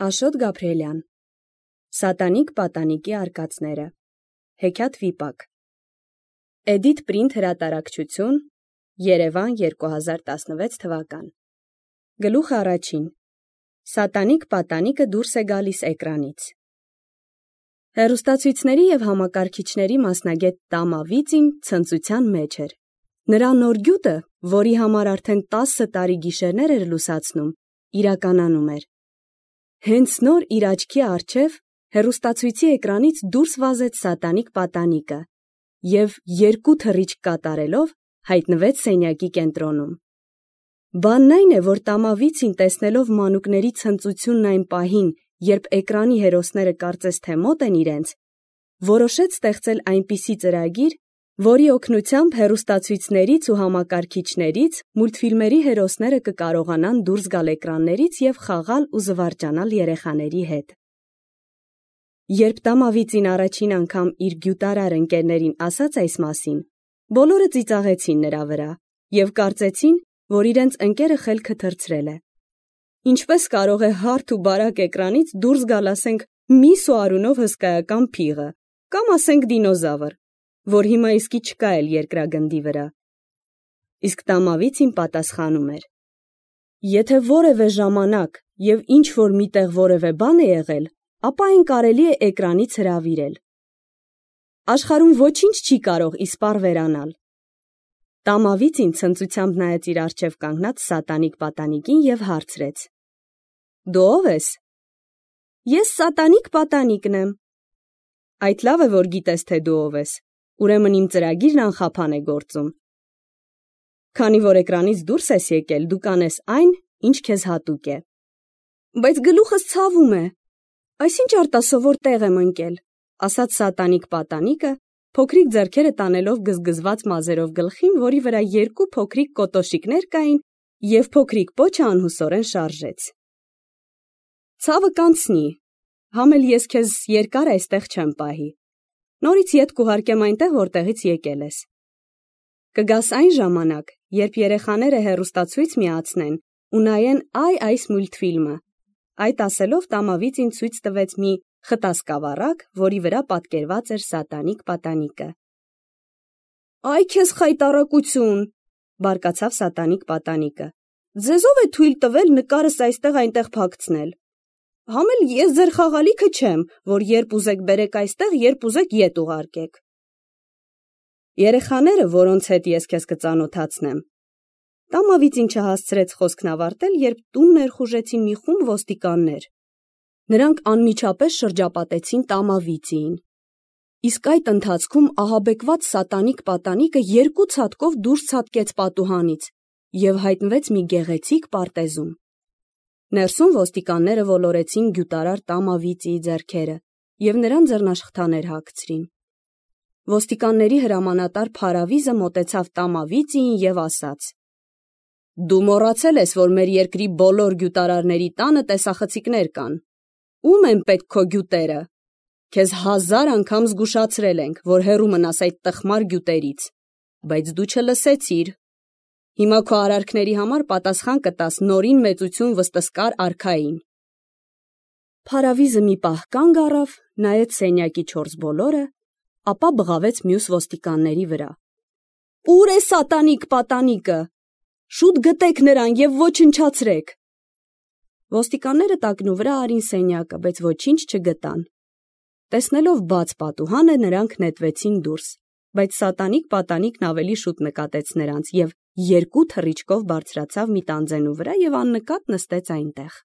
Աշոտ Գաբրիելյան Սատանիկ պատանիկի արկածները Հեքիաթ վիպակ Էդիթ Պրինտ հրատարակչություն Երևան 2016 թվական Գլուխ առաջին Սատանիկ պատանիկը դուրս է գալիս էկրանից Հեռուստացույցների և համակարգիչների մասնագետ Տամավիծին ցնծության մեջ էր։ Նրա նոր գյուտը, որի համար արդեն 10 տարի գիշերներ էր լուսացնում, իրականանում էր։ Հենց նոր իր աչքի առջև հեռուստացույցի էկրանից դուրս վազեց սատանիկ պատանիկը և երկու թռիչք կատարելով հայտնվեց սենյակի կենտրոնում։ Բանն այն է, որ Տամավիծին տեսնելով մանուկների ցնծությունն այն պահին, երբ էկրանի հերոսները կարծես թե մոտ են իրենց, որոշեց ստեղծել այնպիսի ծրագիր, որի օգնությամբ հեռուստացույցներից ու համակարգիչներից մուլտֆիլմերի հերոսները կկարողանան դուրս գալ էկրաններից և խաղալ ու զվարճանալ երեխաների հետ։ Երբ Տամավիծին առաջին անգամ իր գյուտարար ընկերներին ասաց այս մասին, բոլորը ծիծաղեցին նրա վրա և կարծեցին, որ իրենց ընկերը խելքը թռցրել է։ Ինչպես կարող է հարթ ու բարակ էկրանից դուրս գալ, ասենք, միս ու արյունով հսկայական փիղը, կամ ասենք դինոզավր, որ հիմա իսկի չկա էլ երկրագնդի վրա։ Իսկ Տամավիծին պատասխանում էր. Եթե որևէ ժամանակ և ինչ-որ միտեղ որևէ բան է եղել, ապա այն կարելի է էկրանից հրավիրել։ Աշխարհում ոչինչ չի կարող իսպառ վերանալ։ Տամավիծին ցնծությամբ նայեց իր առջև կանգնած սատանիկ պատանիկին և հարցրեց. Դու ո՞վ ես։ Ես սատանիկ պատանիկն եմ։ Այդ լավ է, որ գիտես, թե դու ով ես, ուրեմն իմ ծրագիրն անխափան է գործում։ Քանի որ էկրանից դուրս ես եկել, դու կանես այն, ինչ քեզ հատուկ է։ Բայց գլուխս ցավում է։ Այսինչ արտասովոր տեղ եմ ընկել, ասաց սատանիկ պատանիկը, փոքրիկ ձեռքերը տանելով գզգզված մազերով գլխին, որի վրա երկու փոքրիկ կոտոշիկներ կային, և փոքրիկ պոչը անհուսորեն շարժեց։ Ցավը կանցնի, համ էլ ես քեզ երկար այստեղ չեմ պահի։ Նորից ետ կուղարկեմ այնտեղ, որտեղից եկել ես։ Կգաս այն ժամանակ, երբ երեխաները հեռուստացույց միացնեն ու նայեն այս մուլտֆիլմը։ Այդ ասելով Տամավիծին ցույց տվեց մի խտասկավառակ, որի վրա պատկերված էր սատանիկ պատանիկը։ Այ քեզ խայտառակություն, բարկացավ սատանիկ պատանիկը։ Ձեզ ով է թույլ տվել նկարս այստեղ-այնտեղ փակցնել։ Համ էլ ես ձեր խաղալիքը չեմ, որ երբ ուզեք բերեք այստեղ, երբ ուզեք ետ ուղարկեք։ Երեխաները, որոնց հետ ես քեզ կծանոթացնեմ։ Տամավիծին չհասցրեց խոսքն ավարտել, երբ տուն ներխուժեցին մի խումբ ոստիկաններ։ Նրանք անմիջապես շրջապատեցին Տամավիծին։ Իսկ այդ ընթացքում ահաբեկված սատանիկ պատանիկը երկու ցատկով դուրս ցատկեց պատուհանից և հայտնվեց մի գեղեցիկ պարտեզում։ Ներսում ոստիկանները ոլորեցին գյուտարար Տամավիծիի ձեռքերը և նրան ձեռնաշխտաներ հագցրին։ Ոստիկանների հրամանատար Փարավիզը մոտեցավ Տամավիծիին և ասաց. Դու մոռացել ես, որ մեր երկրի բոլոր գյուտարարների տանը տեսախցիկներ կան։ Ո՞ւմ են պետք քո գյուտերը։ Քեզ 1000 անգամ զգուշացրել ենք, որ հեռու մնաս այդ տխմար գյուտերից, բայց դու չլսեցիր։ Հիմա քո արարքների համար պատասխան կտաս նորին մեծություն վստսկար արքային։ Փարավիզը մի պահ կանգ առավ, նայեց սենյակի 4 բոլորը, ապա բղավեց մյուս ոստիկանների վրա։ Ո՞ւր է սատանիկ պատանիկը։ Շուտ գտեք նրան և ոչնչացրեք։ Ոստիկանները տակնուվրա արին սենյակը, բայց ոչինչ չգտան։ Տեսնելով բաց պատուհանը, նրանք նետվեցին դուրս, բայց սատանիկ պատանիկն ավելի շուտ նկատեց նրանց և երկու թռիչքով բարձրացավ մի տանձենու վրա և աննկատ նստեց այնտեղ։